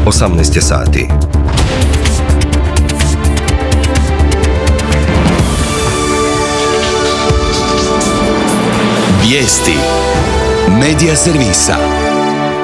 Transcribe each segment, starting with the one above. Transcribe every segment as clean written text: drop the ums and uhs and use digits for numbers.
18 je sati. Vijesti Medija servisa.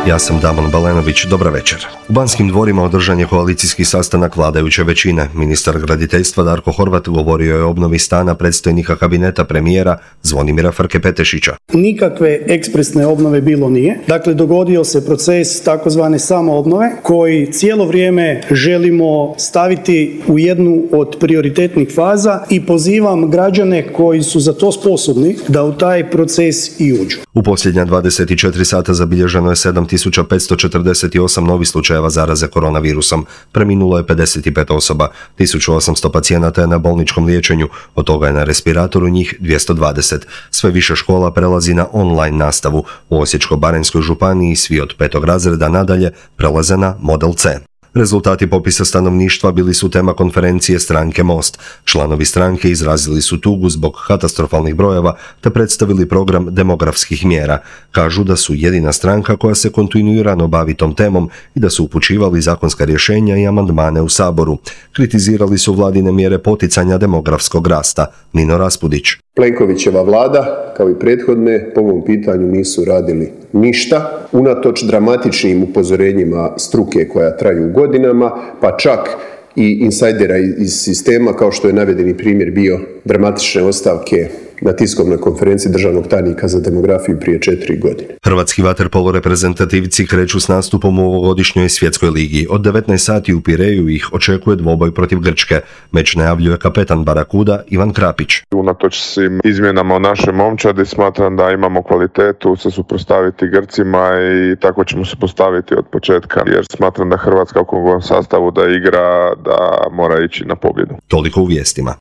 Ja sam Damon Balenović, dobra večer. U Banskim dvorima održan je koalicijski sastanak vladajuće većine. Ministar graditeljstva Darko Horvat govorio je o obnovi stana predstojnika kabineta premijera Zvonimira Frke-Petešića. Nikakve ekspresne obnove bilo nije. Dakle, dogodio se proces takozvane samoobnove koji cijelo vrijeme želimo staviti u jednu od prioritetnih faza i pozivam građane koji su za to sposobni da u taj proces i uđu. U posljednja 24 sata zabilježeno je 7548 novih slučajeva zaraze koronavirusom. Preminulo je 55 osoba, 1800 pacijenata je na bolničkom liječenju, od toga je na respiratoru njih 220. Sve više škola prelazi na online nastavu. U Osječko-baranjskoj županiji svi od 5. razreda nadalje prelaze na model C. Rezultati popisa stanovništva bili su tema konferencije stranke Most. Članovi stranke izrazili su tugu zbog katastrofalnih brojeva te predstavili program demografskih mjera. Kažu da su jedina stranka koja se kontinuirano bavi tom temom i da su upućivali zakonska rješenja i amandmane u Saboru. Kritizirali su vladine mjere poticanja demografskog rasta. Nino Raspudić. Plenkovićeva vlada, kao i prethodne, po ovom pitanju nisu radili ništa, unatoč dramatičnim upozorenjima struke koja traju godinama, pa čak i insajdera iz sistema, kao što je navedeni primjer bio dramatične ostavke na tiskovnoj konferenciji državnog tajnika za demografiju prije 4 godine. Hrvatski vaterpolo reprezentativci kreću s nastupom u ovogodišnjoj svjetskoj ligi. Od 19 sati u Pireju ih očekuje dvoboj protiv Grčke. Meč najavljuje kapetan Barakuda Ivan Krapić. Unatoč svim izmjenama u našoj momčadi smatram da imamo kvalitetu se suprotstaviti Grcima i tako ćemo se postaviti od početka, jer smatram da Hrvatska u kom sastavu da igra, da mora ići na pobjedu. Toliko u vijestima.